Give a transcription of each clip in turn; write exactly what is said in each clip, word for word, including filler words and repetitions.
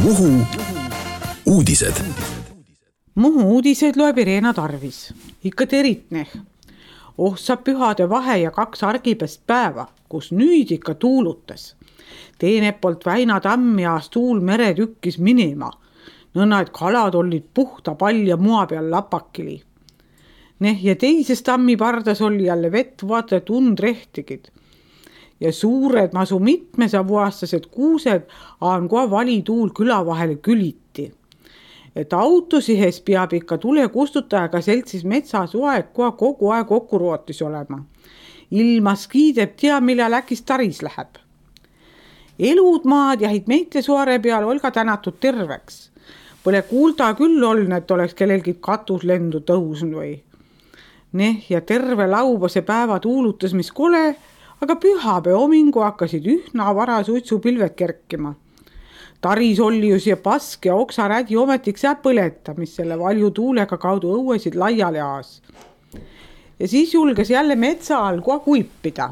Muhu uudised. Muhu uudised loeb Irena Tarvis. Ikka teritneh. Oh, saab pühade vahe ja kaks argipest päeva, kus nüüd ikka tuulutas. Teine poolt Väina tammi aas tuul mere tükkis minema. Nõnna, et kalad olid puhta palja mua peal lapakili. Neh ja teises tammi pardas oli jälle vett vaata tund rehtigid. Ja suured masu mitmesavuaastased kuused aan koha valituul küla vahele küliti. Et autosihes peab ikka tule kustutajaga seltsis metsas aeg koha kogu aeg kokku rootis olema. Ilmas kiideb tea, millal äkis taris läheb. Elud maad jahid meite suare peal olga tänatud terveks. Pole kuulda küll oln, et oleks kellelgi katuslendu tõusnud või. Neh ja terve laubase päeva tuulutas, mis kole, aga pühapäe homingu hakkasid ühna vara suitsupilved kerkima. Taris oli ju siia pask ja oksarädi ometiks jää põleta, mis selle valju tuulega kaudu õuesid laiali aas. Ja siis julges jälle metsa all koha kuipida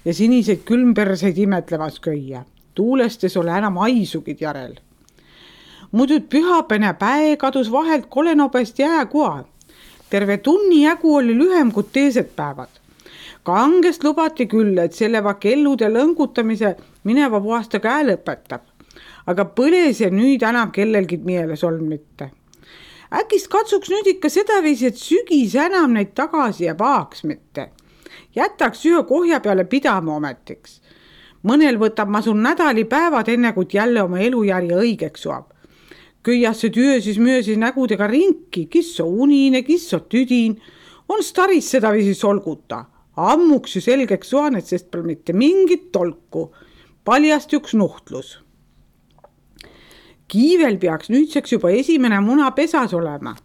ja siniseid külmperseid imetlemas köia. Tuulestes ole enam aisugid järel. Muidu pühapäine päe kadus vahelt kolenobest jää koha. Terve tunni jagu oli lühem kui teised päevad. Kangest lubati küll, et selle vakellude lõngutamise mineva puhasta käe lõpetab. Aga põles ja nüüd enam kellelgi mieles olnud mitte. Äkist katsuks nüüd ikka sedaviisi, et sügis enam neid tagasi ja paaks mitte. Jätaks ühe kohja peale pidama ometiks. Mõnel võtab ma sun nädali päevad enne, kui jälle oma elujärje õigeks suab. Köiasse työsis myösis nägudega rinki, kisso unine, kisso tüdin. On staris sedaviisi solguta. Ammuks ju selgeks suanet, sest pole mitte mingit tolku. Paljast üks nuhtlus. Kiivel peaks nüüdseks juba esimene muna pesas olema.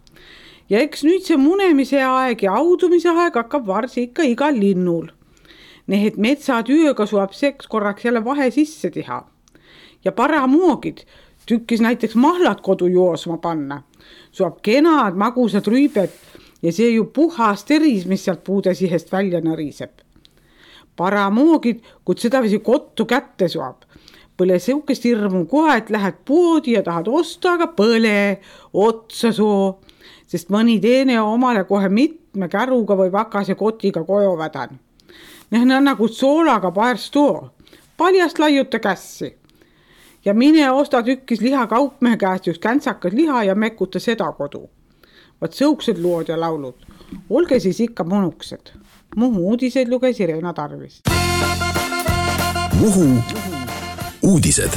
Ja eks nüüd see munemise aeg ja audumise aeg hakkab varsi ikka igal linnul. Need et metsatööga suab seks korraks jälle vahe sisse teha. Ja paramoogid tükkis näiteks mahlat kodu joosma panna. Suab kenad magusad rüübed ja see ju puhas teris, mis sealt puude sihest välja nõriseb. Paramoogid, kui sedavisi kottu kätte suab. Põle seukest hirmu koha, et lähed poodi ja tahad osta, aga põle, otsa soo, sest mõni teene omale kohe mitme käruga või vakase kotiga koju vädan. Need on nagu soolaga paers too, paljast laiuta kässi. Ja mine osta tükkis liha kaupmehe käest just käntsakas liha ja mekuta seda kodu. Vaat sõuksed lood ja laulud. Olge siis ikka monuksed. Muhu uudised luges Irena Tarvis. Muhu uudised.